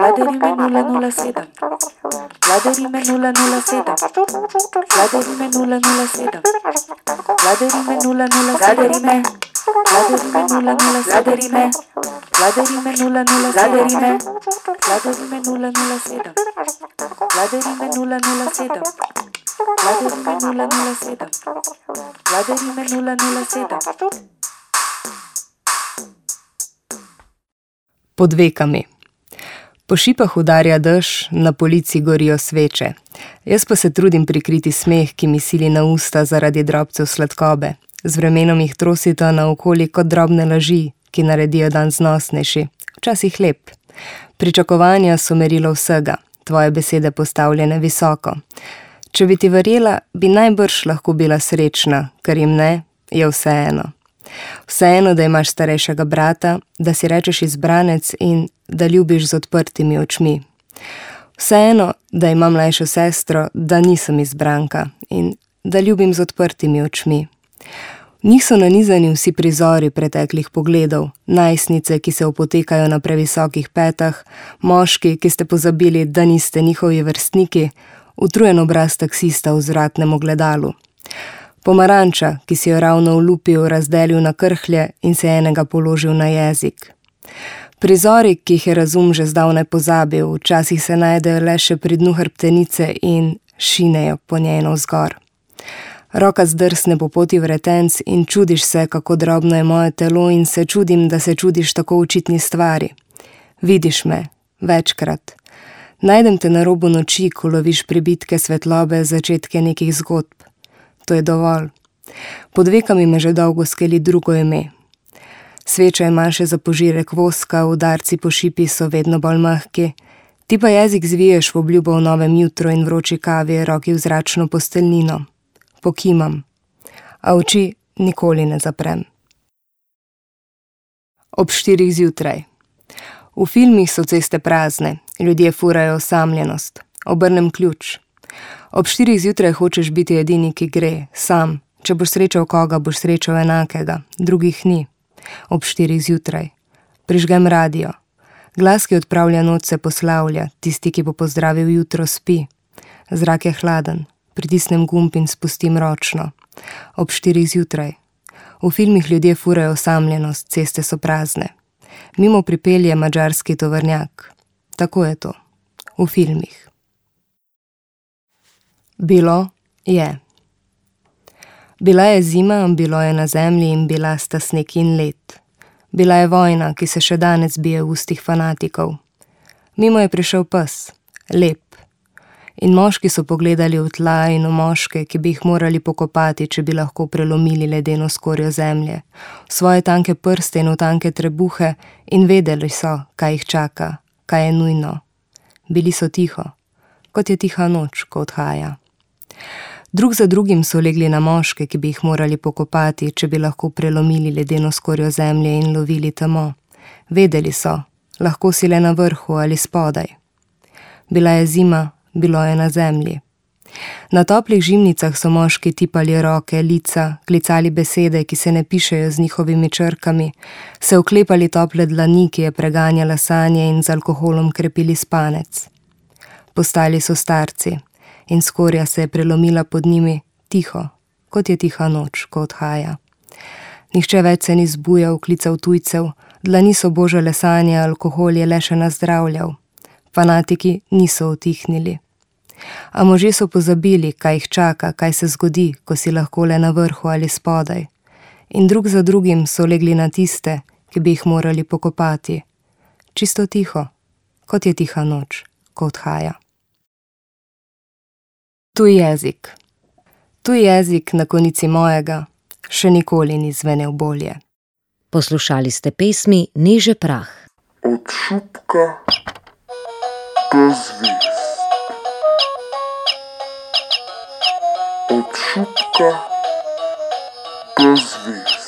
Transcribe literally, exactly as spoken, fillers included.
Vladarime nula nula sedem. Vladarime nula nula sedem. Vladarime nula nula sedem. Vladarime nula nula Vladarime. Vladarime nula nula Vladarime. Vladarime nula nula Vladarime. Vladarime nula nula sedem. Vladarime nula nula sedem. Vladarime nula nula sedem. Vladarime nula nula sedem. Pod vekami. Po šipah udarja dež, na polici gorijo sveče. Jaz pa se trudim prikriti smeh, ki mi sili na usta zaradi drobcev sladkobe. Z vremenom jih trosita naokoli kot drobne laži, ki naredijo dan znosnejši, včasih lep. Pričakovanja so merilo vsega, tvoje besede postavljene visoko. Če bi ti verjela, bi najbrž lahko bila srečna, ker jim ne, je vseeno. Vseeno, da imaš starejšega brata, da si rečeš izbranec in da ljubiš z odprtimi očmi. Vseeno, da imam mlajšo sestro, da nisem izbranka in da ljubim z odprtimi očmi. V njih so nanizani vsi prizori preteklih pogledov, najstnice, ki se opotekajo na previsokih petah, moški, ki ste pozabili, da niste njihovi vrstniki, utrujen obraz taksista v zvratnem ogledalu. Pomaranča, ki si jo ravno olupil, razdelil na krhlje in se enega položil na jezik. Prizori, ki jih je razum že zdavnaj pozabil, včasih se najdejo le še pri dnu hrbtenice in šinejo po njej navzgor. Roka zdrsne po poti vretenc in čudiš se, kako drobno je moje telo in se čudim, da se čudiš tako očitni stvari. Vidiš me, večkrat. Najdem te na robu noči, ko loviš pribitke svetlobe, začetke nekih zgodb. To je dovolj. Pod vekami me že dolgo skeli drugo ime. Sveča ima še za požirek voska, udarci po šipi so vedno bolj mahki. Ti pa jezik zviješ v obljubo v novem jutru in vroči kavi, roki v zračno posteljnino. Pokimam, a oči nikoli ne zaprem. Ob štirih zjutraj. V filmih so ceste prazne, ljudje furajo osamljenost. Obrnem ključ. Ob štirih zjutraj hočeš biti edini, ki gre, sam. Če boš srečal koga, boš srečal enakega, drugih ni. Ob štirih zjutraj. Prižgem radio. Glas, ki odpravlja noč, se poslavlja, tisti, ki bo pozdravil jutro, spi. Zrak je hladen, pritisnem gumb in spustim ročno. Ob štirih zjutraj. V filmih ljudje furajo osamljenost, ceste so prazne. Mimo pripelje madžarski tovornjak. Tako je to. V filmih. Bilo je. Bila je zima, bilo je na zemlji in bila sta sneg in led. Bila je vojna, ki se še danes bije v ustih fanatikov. Mimo je prišel pes, lep. In moški so pogledali v tla in v moške, ki bi jih morali pokopati, če bi lahko prelomili ledeno skorjo zemlje, v svoje tanke prste in v tanke trebuhe in vedeli so, kaj jih čaka, kaj je nujno. Bili so tiho, kot je tiha noč, ko odhaja. Drug za drugim so legli na moške, ki bi jih morali pokopati, če bi lahko prelomili ledeno skorjo zemlje in lovili temo. Vedeli so, lahko si le na vrhu ali spodaj. Bila je zima, bilo je na zemlji. Na toplih žimnicah so moški tipali roke, lica, klicali besede, ki se ne pišejo z njihovimi črkami, se oklepali tople dlani, ki je preganjala sanje in z alkoholom krepili spanec. Postali so starci. In skorja se je prelomila pod njimi, tiho, kot je tiha noč, ko odhaja. Nihče več se ni zbujal, klical tujcev, dlani so božale sanje, alkohol je le še nazdravljal. Fanatiki niso utihnili. A možje so pozabili, kaj jih čaka, kaj se zgodi, ko si lahko le na vrhu ali spodaj. In drug za drugim so legli na tiste, ki bi jih morali pokopati. Čisto tiho, kot je tiha noč, ko odhaja. Tuj jezik. Tuj jezik na konici mojega še nikoli ni zvenel bolje. Poslušali ste pesmi Niže prah. Od šupka do zvezd. Od šupka do zvezd.